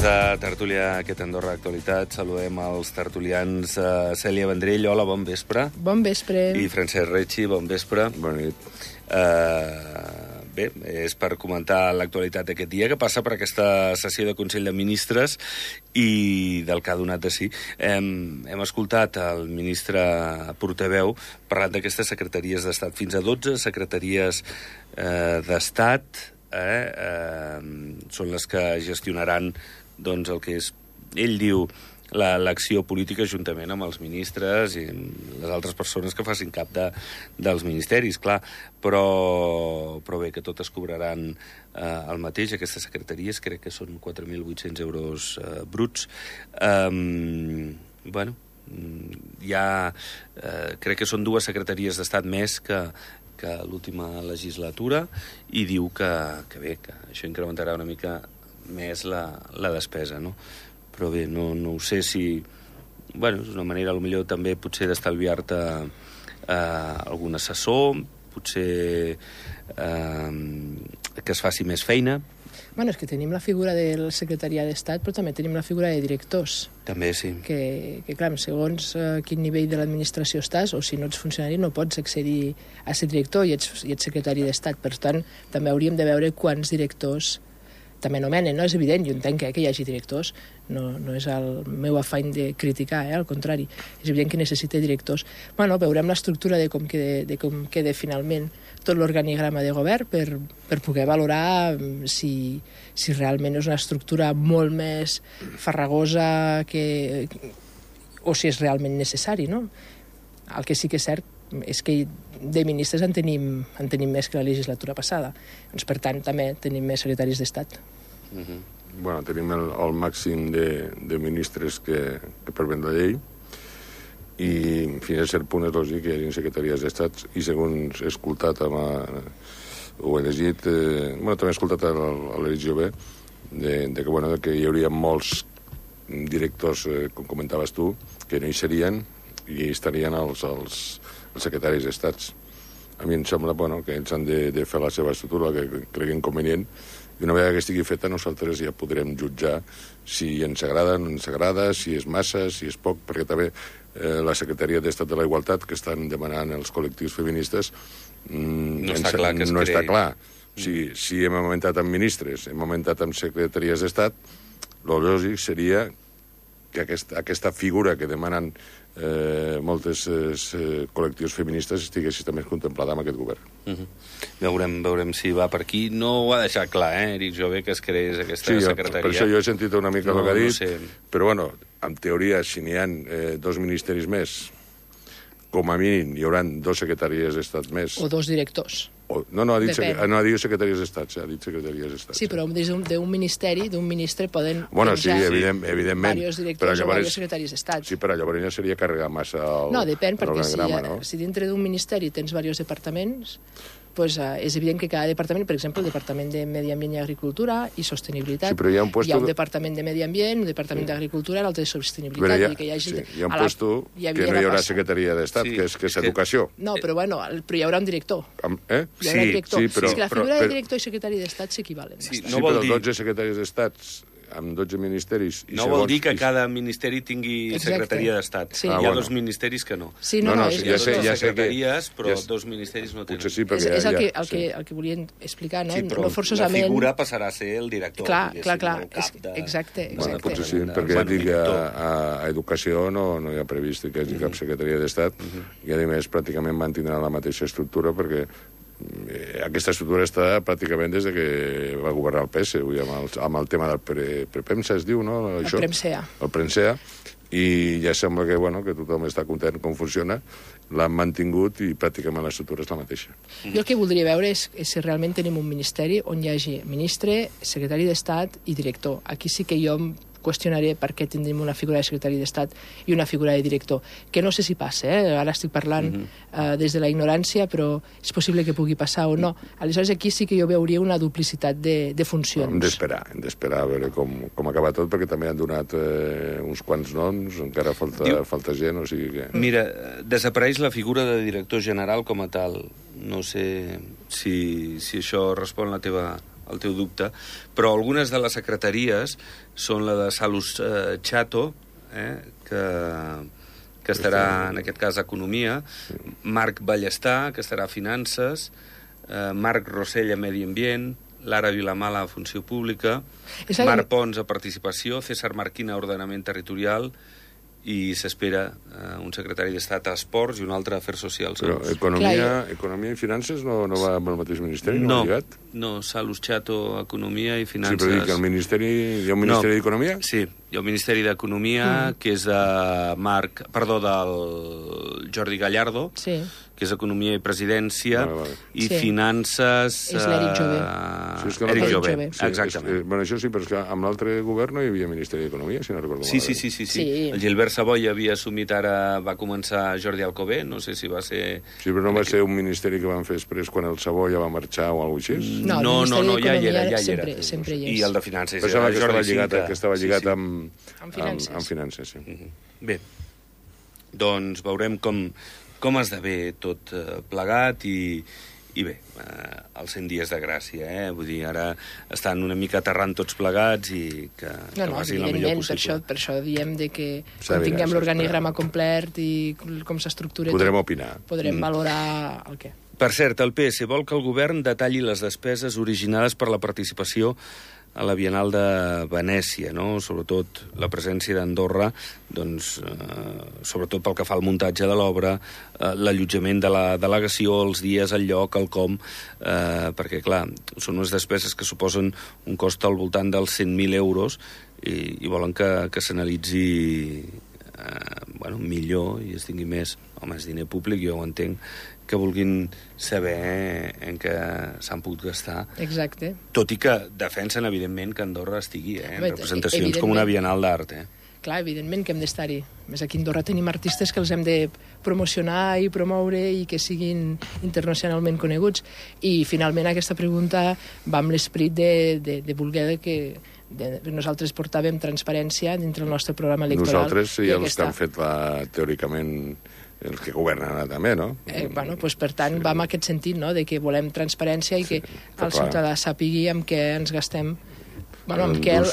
Temps de tertúlia aquest Andorra Actualitat. Saludem els tertulians Cèlia Vendrell, hola, bon vespre. Bon vespre. I Francesc Retxi, bon vespre. Bona nit. Bé, és per comentar l'actualitat d'aquest dia, que passa per aquesta sessió de Consell de Ministres i del que ha donat de si. Hem escoltat el ministre portaveu parlant d'aquestes secretaries d'Estat. Fins a 12 secretaries d'Estat són les que gestionaran doncs, el que és, ell diu, l'acció política juntament amb els ministres i les altres persones que facin cap dels ministeris, clar. Però bé, que totes cobraran el mateix, aquestes secretaries, crec que són 4.800 euros bruts. Bueno, crec que són 2 secretaries d'Estat més que l'última legislatura, i diu que bé, que això incrementarà una mica més la despesa, no? Però bé, no ho sé si... Bueno, és una manera, potser també potser d'estalviar-te algun assessor, potser que es faci més feina. Bueno, és que tenim la figura del secretariat d'Estat, però també tenim la figura de directors. També, sí. Que clar, segons quin nivell de l'administració estàs, o si no ets funcionari, no pots accedir a ser director i ets secretari d'Estat. Per tant, també hauríem de veure quants directors també nomenen, no? És evident, jo entenc que hi hagi directors, no és el meu afany de criticar, al contrari. És evident que necessita directors. Bueno, veurem l'estructura de com queda finalment tot l'organigrama de govern per poder valorar si realment és una estructura molt més farragosa o si és realment necessari, no? El que sí que és cert és que de ministres en tenim més que la legislatura passada. Doncs, per tant, també tenim més secretaris d'Estat. Bueno, tenim el màxim de ministres que prevén la llei, i fins a cert punt és lògic que hi hagi secretaries d'Estat, i segons he escoltat o he llegit, també he escoltat a l'Eric Jové, que hi hauria molts directors, com comentaves tu, que no hi serien i estarien els secretaris d'Estats. A mi em sembla que ells han de fer la seva estructura, que creguin convenient, i una vegada que estigui feta nosaltres ja podrem jutjar si ens agrada o no ens agrada, si és massa, si és poc, perquè també la Secretaria d'Estat de la Igualtat, que estan demanant els col·lectius feministes, no està clar. O sigui, si hem augmentat amb ministres, hem augmentat amb secretaries d'Estat, el lògic seria que aquesta figura que demanen moltes col·lectius feministes estigués també contemplada amb aquest govern. Veurem si va per aquí. No ho ha deixat clar, Eric Jové, que es creés aquesta secretaria. Per això jo he sentit una mica el que ha dit, però bueno, en teoria, si n'hi ha 2 ministeris més, com a mínim hi haurà 2 secretaries d'Estat més. O 2 directors. No ha dit secretaries d'Estat, ha dit secretaries d'Estat. Sí, però d'un ministeri, d'un ministre, poden sí, evidentment, diversos directors o diversos secretaris d'Estat. Sí, però llavors ja seria carregar massa No, depèn, perquè si dintre d'un ministeri tens diversos departaments, doncs és evident que cada departament, per exemple, el Departament de Medi Ambient i Agricultura i Sostenibilitat, hi ha un Departament de Medi Ambient, un Departament d'Agricultura i l'altre de Sostenibilitat. Hi ha un puesto que no hi haurà secretaria d'Estat, que és Educació. No, però hi haurà un director. Sí, però... És que la figura de director i secretari d'Estat s'equivalen. Sí, però 12 secretaris d'Estat amb 12 ministeris... No vol dir que cada ministeri tingui secretaria d'Estat. Hi ha 2 ministeris que no. Sí, ja sé secretaries, però 2 ministeris no tenen. És el que volien explicar, no? Sí, però la figura passarà a ser el director. Clar. Exacte. Potser sí, perquè ja dic que a Educació no hi ha previst que hi hagi cap secretaria d'Estat, i a més pràcticament mantindran la mateixa estructura, perquè aquesta estructura està pràcticament des que va governar el PS, amb el tema del Prepemsa, es diu, no? El Premsea. El Premsea, i ja sembla que tothom està content com funciona, l'han mantingut i pràcticament l'estructura és la mateixa. Jo el que voldria veure és si realment tenim un ministeri on hi hagi ministre, secretari d'Estat i director. Aquí sí que jo qüestionaré per què tindrim una figura de secretari d'Estat i una figura de director, que no sé si passa, ara estic parlant des de la ignorància, però és possible que pugui passar o no. Aleshores aquí sí que jo veuria una duplicitat de funcions. Hem d'esperar a veure com acaba tot, perquè també han donat uns quants noms, encara falta gent, o sigui que... Mira, desapareix la figura de director general com a tal. No sé si això respon la teva teu dubte, però algunes de les secretaries són la de Salus Chato, que estarà, en aquest cas, Economia, Marc Ballestà, que estarà a Finances, Marc Rossell a Medi Ambient, Lara Vilamala a Funció Pública, Marc Pons a Participació, César Marquina a Ordenament Territorial, i s'espera un secretari d'Estat a Esports i un altre a Afers Socials. Però Economia i Finances no va amb el mateix ministeri? No, Salus Chato, Economia i Finances. Sí, però dic que el ministeri... Hi ha un ministeri d'Economia? Sí, hi ha un ministeri d'Economia que és del Jordi Gallardo, que és Economia i Presidència, i Finances... És l'Eric Jové. Eric Jové, exactament. Bueno, això sí, però és que amb l'altre govern no hi havia Ministeri d'Economia, si no recordo malament. Sí. El Gilbert Savoy havia assumit, ara va començar Jordi Alcover, no sé si va ser... Sí, però no va ser un ministeri que van fer després quan el Savoy ja va marxar o alguna cosa així? No, ja hi era. Sempre hi és. I el de Finances era Jordi Cinca. Que estava lligat amb Finances, sí. Bé, doncs veurem com esdevé tot plegat i bé, els 100 dies de gràcia, vull dir, ara estan una mica aterrant tots plegats i que vagi la millor possible. Per això diem que quan tinguem l'organigrama complet i com s'estructura... Podrem opinar. Podrem valorar el què. Per cert, el PS vol que el govern detalli les despeses originades per la participació a la Bienal de Venècia, no? Sobretot la presència d'Andorra, doncs, sobretot pel que fa al muntatge de l'obra, l'allotjament de la delegació, els dies, el lloc, el com, perquè, clar, són unes despeses que suposen un cost al voltant dels 100.000 euros i volen que s'analitzi millor i es tingui més. Home, és diner públic, jo ho entenc, que vulguin saber en què s'han pogut gastar. Exacte. Tot i que defensen, evidentment, que Andorra estigui en representacions com una Bienal d'Art. Clar, evidentment que hem d'estar-hi. Més aquí a Andorra tenim artistes que els hem de promocionar i promoure i que siguin internacionalment coneguts. I, finalment, aquesta pregunta va amb l'esperit de voler que nosaltres portàvem transparència dintre el nostre programa electoral. Nosaltres i els que han fet teòricament els que governen ara també, no? Doncs per tant, va en aquest sentit, no?, de que volem transparència i que el ciutadà sàpigui amb què ens gastem, amb què el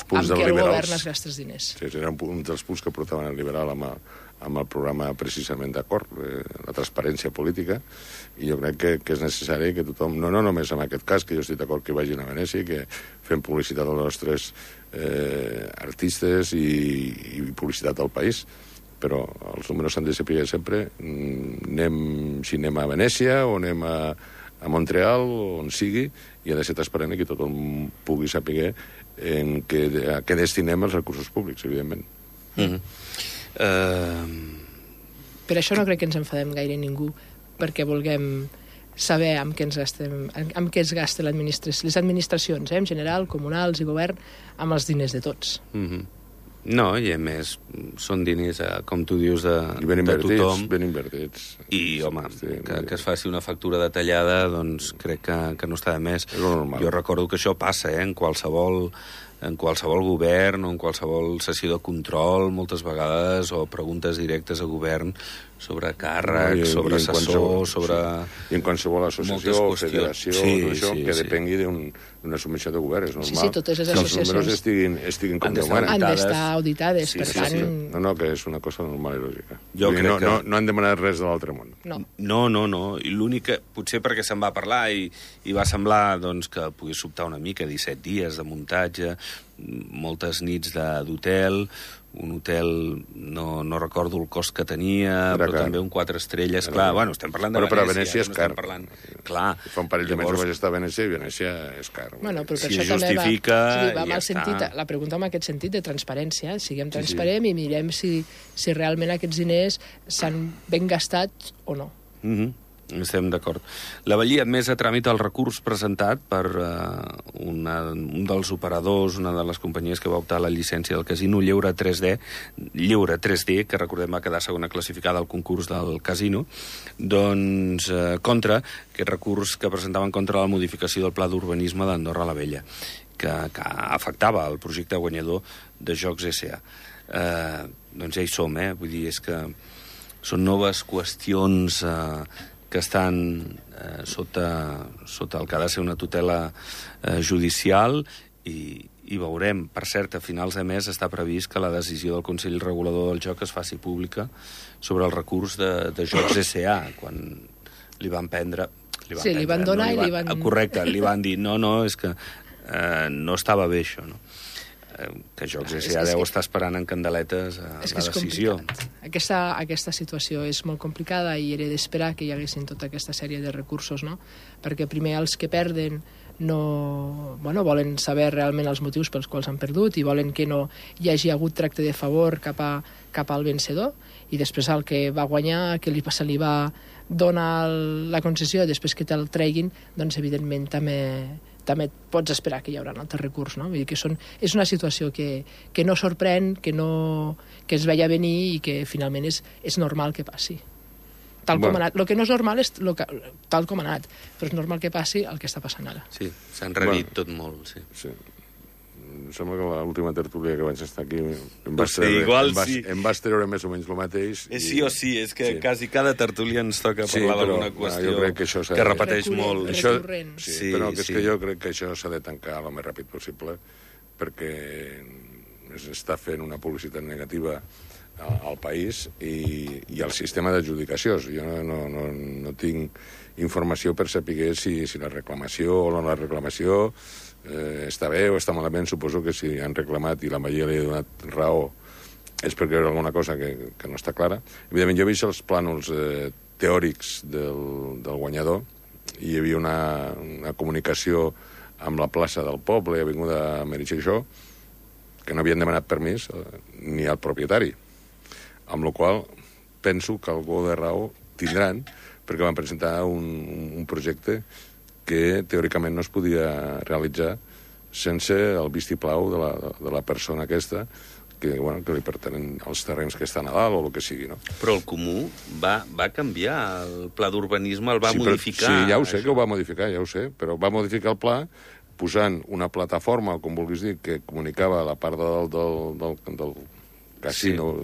govern es gasta els diners. Sí, era un dels punts que portaven el liberal amb el programa precisament d'acord, la transparència política, i jo crec que és necessari que tothom, no només en aquest cas, que jo estic d'acord que vagin a Venècia, que fem publicitat als nostres artistes i publicitat al país, però els números s'han de saber sempre si anem a Venècia o anem a Montreal o on sigui, i ha de ser transparent i que tothom pugui saber a què destinem els recursos públics, evidentment. Per això no crec que ens enfadem gaire ningú, perquè vulguem saber amb què es gasten les administracions, en general, comunals i govern, amb els diners de tots. No, i a més, són diners, com tu dius, de tothom. Ben invertits. I, home, que es faci una factura detallada, doncs crec que no està de més. Jo recordo que això passa, en qualsevol govern o en qualsevol sessió de control, moltes vegades, o preguntes directes a govern sobre càrrecs, sobre assessors, sobre... I en qualsevol associació o federació, això, que depengui d'una submissió de govern, és normal. Sí, totes les associacions... Que els números estiguin com Déu mana. Han d'estar auditades, per tant... No, que és una cosa normal i lògica. No han demanat res de l'altre món. No. I l'únic que, potser perquè se'n va parlar i va semblar que pogués sobtar una mica, 17 dies de muntatge, moltes nits d'hotel, un hotel, no recordo el cost que tenia, però també un 4 estrelles. Clar, estem parlant de Venècia. Però a Venècia és car. Clar. Fa un parell de mesos vaig estar a Venècia i Venècia és car. Però per això també va amb el sentit, la pregunta en aquest sentit de transparència. Siguem transparents i mirem si realment aquests diners s'han ben gastat o no. Estem d'acord. La Vallia ha admès a tràmit el recurs presentat per un dels operadors, una de les companyies que va optar a la llicència del casino, Lleure 3D, que recordem va quedar segona classificada al concurs del casino, doncs contra aquest recurs que presentaven contra la modificació del pla d'urbanisme d'Andorra la Vella, que afectava el projecte guanyador de Jocs S.A. Doncs ja hi som, vull dir, és que són noves qüestions que estan sota el que ha de ser una tutela judicial i veurem. Per cert, a finals de mes està previst que la decisió del Consell Regulador del Joc es faci pública sobre el recurs de Jocs S.A. quan li van prendre... Li van donar i li van... Correcte, li van dir, no, és que no estava bé això, no? Que Jocs S.A. deu estar esperant en candeletes la decisió. Aquesta situació és molt complicada i era d'esperar que hi haguessin tota aquesta sèrie de recursos, no? Perquè primer els que perden volen saber realment els motius pels quals han perdut i volen que no hi hagi hagut tracte de favor cap al vencedor, i després el que va guanyar, que se li va donar la concessió, després que te'l treguin, doncs evidentment també pots esperar que hi haurà un altre recurs, no? Vull dir que és una situació que no sorprèn, que es veia venir i que finalment és normal que passi. Tal com ha anat. El que no és normal és tal com ha anat, però és normal que passi el que està passant ara. Sí, s'ha enrarit tot molt, sí. Em sembla que l'última tertúlia que vaig estar aquí em vas treure més o menys el mateix. Sí o sí, és que quasi cada tertúlia ens toca parlar d'alguna qüestió que repeteix molt. Sí, però és que jo crec que això s'ha de tancar el més ràpid possible perquè s'està fent una publicitat negativa al país i al sistema d'adjudicació. Jo no tinc informació per saber si la reclamació o no la reclamació està bé o està malament. Suposo que si han reclamat i la majoria li ha donat raó és perquè hi ha alguna cosa que no està clara. Evidentment, jo he vist els plànols teòrics del guanyador i hi havia una comunicació amb la plaça del poble, Avinguda Meritxell Xó, que no havien demanat permís ni al propietari, amb la qual penso que algú de raó tindran, perquè van presentar un projecte que teòricament no es podia realitzar sense el vistiplau de la persona aquesta, que li pertenen els terrenys que estan a dalt o el que sigui, no? Però el Comú va canviar el pla d'urbanisme, el va modificar. Sí, ja ho sé que ho va modificar, ja ho sé, però va modificar el pla posant una plataforma, com vulguis dir, que comunicava la part del casino,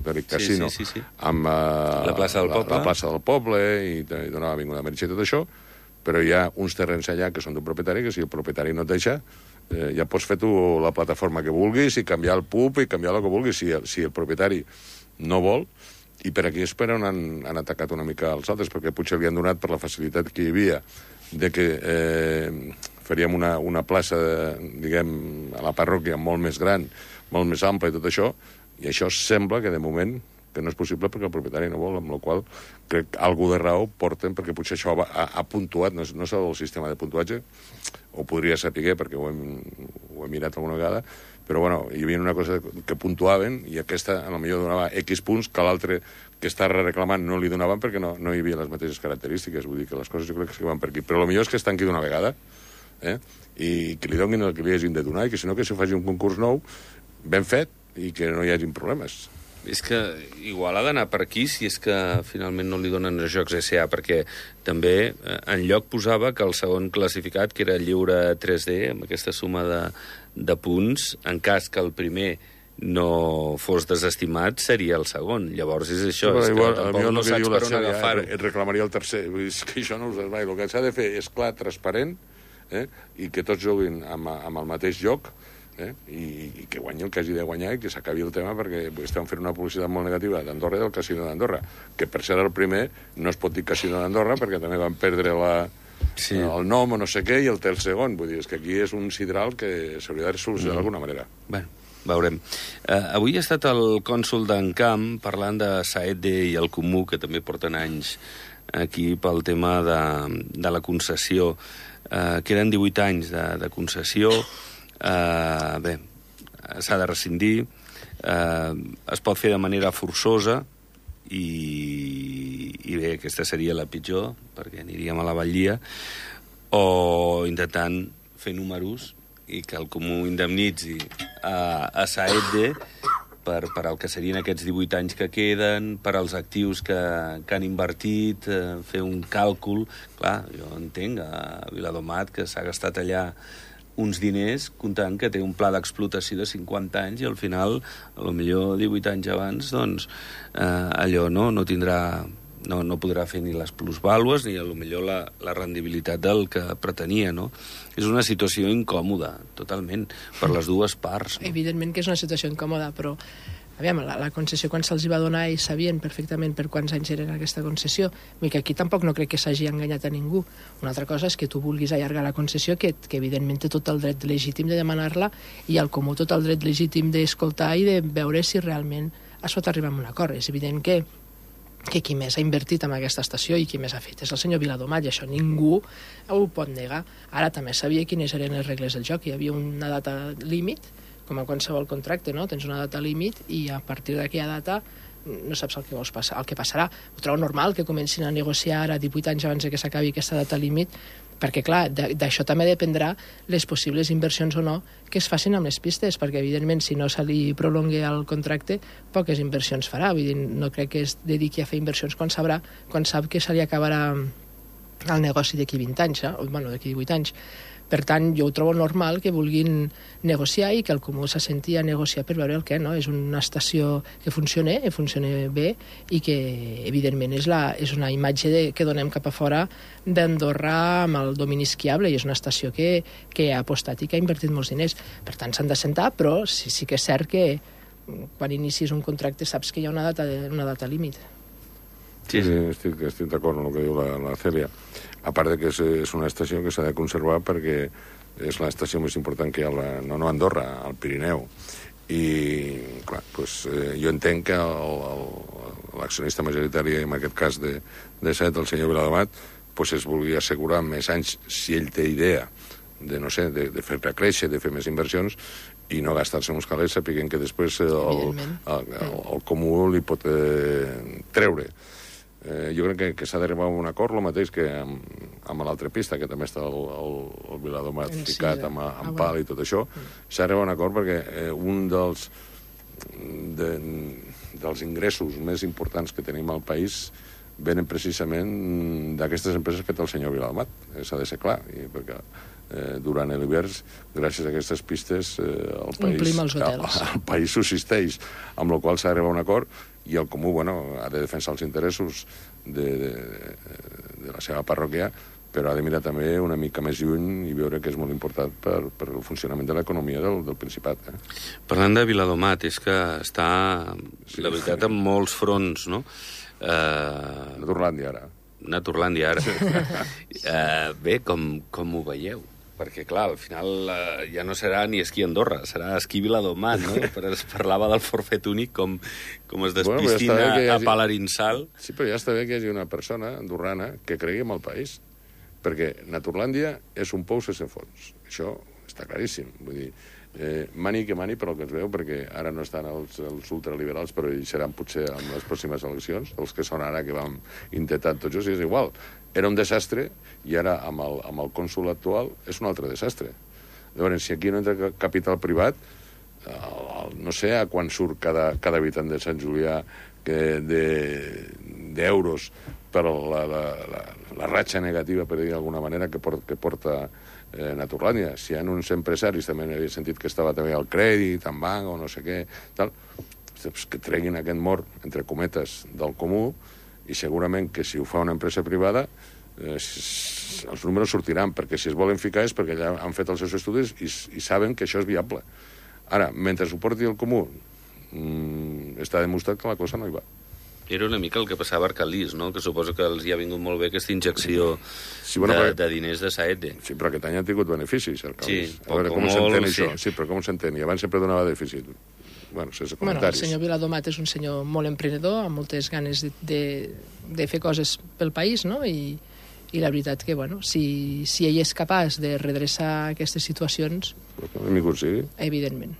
amb la plaça del poble i donava Avinguda Meritxell i tot això, però hi ha uns terrenys allà que són d'un propietari, que si el propietari no et deixa, ja pots fer tu la plataforma que vulguis i canviar el pub i canviar el que vulguis. Si el propietari no vol, i per aquí és per on han atacat una mica els altres, perquè potser li han donat per la facilitat que hi havia de que faríem una plaça, diguem, a la parròquia molt més gran, molt més ampla i tot això, i això sembla que de moment que no és possible perquè el propietari no vol, amb la qual crec que algú de raó porten, perquè potser això ha puntuat, no és el sistema de puntuatge, o podria saber perquè ho he mirat alguna vegada, però hi havia una cosa que puntuaven i aquesta potser donava X punts que l'altre que està reclamant no li donaven perquè no hi havia les mateixes característiques. Vull dir que les coses jo crec que van per aquí. Però el millor és que es tanqui d'una vegada i que li donin el que li hagin de donar i que si no que s'hi faci un concurs nou ben fet i que no hi hagin problemes. És que igual ha d'anar per aquí si és que finalment no li donen a Jocs S.A., perquè també en lloc posava que el segon classificat, que era Lliure 3D, amb aquesta suma de punts, en cas que el primer no fos desestimat, seria el segon. Llavors és això, és que tampoc no saps per on agafar-ho. Et reclamaria el tercer. És que això no ho saps mai. El que s'ha de fer és clar, transparent, i que tots juguin amb el mateix joc, i que guanyi el que hagi de guanyar i que s'acabi el tema, perquè estem fent una publicitat molt negativa d'Andorra i del Casino d'Andorra, que per ser el primer no es pot dir Casino d'Andorra perquè també van perdre el nom o no sé què i el té el segon. Vull dir, és que aquí és un sidral que s'hauria de solucionar d'alguna manera. Bueno, veurem. Avui ha estat el cònsol d'Encamp parlant de Saedde i el Comú, que també porten anys aquí pel tema de la concessió. Queden 18 anys de concessió. Bé, s'ha de rescindir, es pot fer de manera forçosa i bé, aquesta seria la pitjor perquè aniríem a la batllia, o intentant fer números i que el Comú indemnitzi a Saedde per el que serien aquests 18 anys que queden, per als actius que han invertit, fer un càlcul. Clar, jo entenc a Viladomat que s'ha gastat allà uns diners comptant que té un pla d'explotació de 50 anys i al final, potser 18 anys abans, doncs allò no tindrà no podrà fer ni les plusvàlues ni potser la rendibilitat del que pretenia, no? És una situació incòmoda, totalment, per les dues parts. No? Evidentment que és una situació incòmoda, però aviam, la concessió quan se'ls va donar ells sabien perfectament per quants anys era aquesta concessió. Vull que aquí tampoc no crec que s'hagi enganyat a ningú. Una altra cosa és que tu vulguis allargar la concessió, que evidentment té tot el dret legítim de demanar-la, i al comú tot el dret legítim d'escoltar i de veure si realment es pot arribar a un acord. És evident que qui més ha invertit en aquesta estació i qui més ha fet és el senyor Viladomat, i això ningú ho pot negar. Ara també sabia quines eren les regles del joc. Hi havia una data límit, com a qualsevol contracte, no? Tens una data límit i a partir d'aquella data no saps el que passarà. Ho trobo normal que comencin a negociar a 18 anys abans que s'acabi aquesta data límit, perquè, clar, d'això també dependrà les possibles inversions o no que es facin amb les pistes, perquè, evidentment, si no se li prolongue el contracte, poques inversions farà. Vull dir, no crec que es dediqui a fer inversions quan sap que se li acabarà el negoci d'aquí 20 anys, d'aquí 18 anys. Per tant, jo ho trobo normal que vulguin negociar i que el comú s'assenti a negociar per veure el què, no? És una estació que funciona bé i que, evidentment, és una imatge que donem cap a fora d'Andorra amb el domini esquiable, i és una estació que ha apostat i que ha invertit molts diners. Per tant, s'han d'assentar, però sí que és cert que quan inicis un contracte saps que hi ha una data límit. Sí, estic d'acord amb el que diu la Cèlia. A part de que és una estació que s'ha de conservar perquè és l'estació més important que hi ha no a Andorra, al Pirineu. I, clar, jo entenc que l'accionista majoritari, en aquest cas de SET, el senyor Viladomat, es vulgui assegurar més anys, si ell té idea de fer-la créixer, de fer més inversions, i no gastar-se uns calés sapiguent que després el comú li pot treure. Jo crec que s'ha d'arribar a un acord, el mateix que amb l'altra pista, que també està el Viladomat ficat amb pal i tot això. S'ha d'arribar a un acord perquè un dels ingressos més importants que tenim al país venen precisament d'aquestes empreses que té el senyor Viladomat. S'ha de ser clar, perquè durant l'hivern, gràcies a aquestes pistes, el país subsisteix, amb la qual s'ha d'arribar a un acord, i el comú ha de defensar els interessos de la seva parròquia, però ha de mirar també una mica més lluny i veure que és molt important per el funcionament de l'economia del Principat. Parlant de Viladomat, és que està, la veritat, en molts fronts, no? Naturlàndia, ara. Naturlàndia, ara. Bé, com ho veieu? Perquè, clar, al final ja no serà ni esquí Andorra, serà esquí Viladomat, no? Però es parlava del forfet únic, com es despistin a Palarinsal. Sí, però ja està bé que hi hagi una persona andorrana que cregui en el país, perquè Naturlàndia és un pou sense fons. Això està claríssim. Vull dir, mani que mani, però el que es veu, perquè ara no estan els ultraliberals, però hi seran potser en les pròximes eleccions, els que són ara que vam intentar tots els, és igual. Era un desastre, i ara, amb el cònsol actual, és un altre desastre. Llavors, si aquí no entra capital privat, no sé a quan surt cada habitant de Sant Julià d'euros per la ratxa negativa, per dir d'alguna manera, que porta Naturlàndia. Si hi ha uns empresaris, també n'havia sentit que estava també al crèdit, en banc, o no sé què, tal, que treguin aquest mort, entre cometes, del comú, i segurament que si ho fa una empresa privada els números sortiran, perquè si es volen ficar és perquè ja han fet els seus estudis i saben que això és viable. Ara, mentre ho porti el comú, està demostrat que la cosa no hi va. Era una mica el que passava a Arcalís, no? Que suposo que els hi ha vingut molt bé aquesta injecció de diners de Saete. Sí, però aquest any han tingut beneficis, Arcalís. Sí, a veure, com s'entén això? Sí, però com s'entén? I abans sempre donava dèficit. Sense comentaris. El senyor Viladomat és un senyor molt emprenedor, amb moltes ganes de fer coses pel país, no? I la veritat que, si ell és capaç de redreçar aquestes situacions... Benvingut sigui. Evidentment.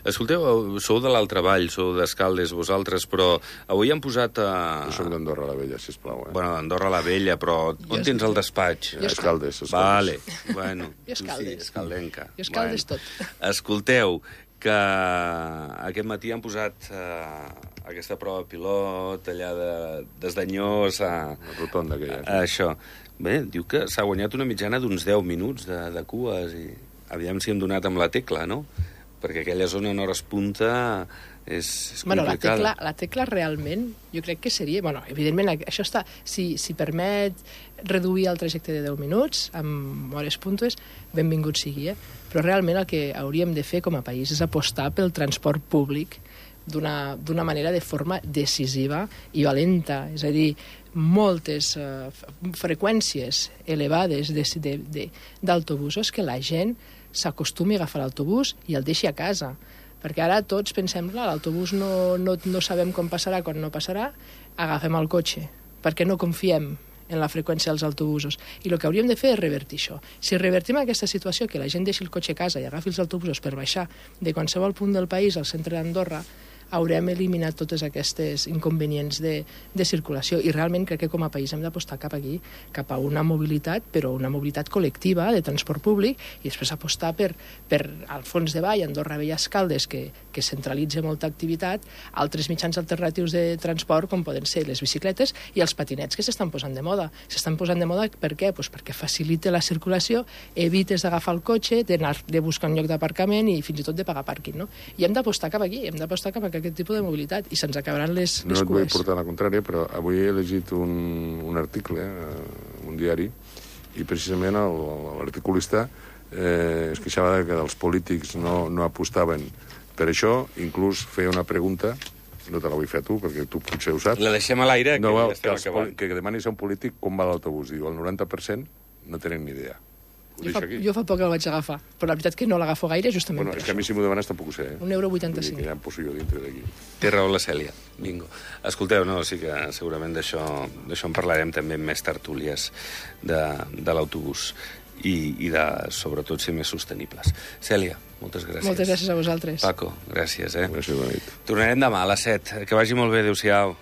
Escolteu, sou de l'altra vall, sou d'Escaldes vosaltres, però avui han posat Jo soc d'Andorra la Vella, sisplau. Bueno, d'Andorra la Vella, però on tens el despatx? Escaldes. Vale, bueno. Jo Escaldes. Escaldenca. Jo Escaldes tot. Escolteu, que aquest matí han posat aquesta prova pilot allà des d'Anyós a... La rotonda aquella. Això. Bé, diu que s'ha guanyat una mitjana d'uns 10 minuts de cues i aviam si hem donat amb la tecla, no? Perquè aquella zona en hores punta és Bueno, complicada. la tecla realment, jo crec que seria... Bueno, evidentment, això està... Si permet reduir el trajecte de 10 minuts amb hores puntues, benvingut sigui, Però realment el que hauríem de fer com a país és apostar pel transport públic d'una manera de forma decisiva i valenta. És a dir, moltes freqüències elevades d'autobusos que la gent s'acostumi a agafar l'autobús i el deixi a casa. Perquè ara tots pensem, l'autobús no sabem com passarà, quan no passarà, agafem el cotxe, perquè no confiem en la freqüència dels autobusos. I el que hauríem de fer és revertir això. Si revertim aquesta situació, que la gent deixi el cotxe a casa i agafi els autobusos per baixar de qualsevol punt del país al centre d'Andorra, haurem eliminat totes aquestes inconvenients de circulació. I realment crec que com a país hem d'apostar cap aquí, cap a una mobilitat, però una mobilitat col·lectiva de transport públic, i després apostar per al fons de Vall, Andorra Vella Escaldes, que centralitza molta activitat, altres mitjans alternatius de transport, com poden ser les bicicletes i els patinets, que s'estan posant de moda. S'estan posant de moda per què? Pues perquè facilita la circulació, evites d'agafar el cotxe, de buscar un lloc d'aparcament i fins i tot de pagar pàrquing, no? I hem d'apostar cap aquí, hem d'apostar cap a aquest tipus de mobilitat, i se'ns acabaran les No et vull cues. portar la contrària, però avui he llegit un article, un diari, i precisament l'articulista es queixava que els polítics no apostaven per això, inclús feia una pregunta, no te la vull fer a tu, perquè tu potser ho saps. La deixem a l'aire, que ja estem acabant. Que demanis a un polític com va l'autobús. Diu, el 90% no tenen ni idea. Jo fa poc el vaig agafar, però la veritat que no l'agafo gaire, justament Bueno, per és que a mi si m'ho demanes tampoc ho sé. €1,85. Vull dir que ja em poso jo dintre d'aquí. Té raó la Cèlia. Bingo. Escolteu, no, sí que segurament d'això en parlarem també en més tertúlies de l'autobús i de, sobretot, ser més sostenibles. Cèlia, moltes gràcies. Moltes gràcies a vosaltres. Paco, gràcies, Gràcies, bona nit. Tornarem demà a les 7. Que vagi molt bé, adéu-siau.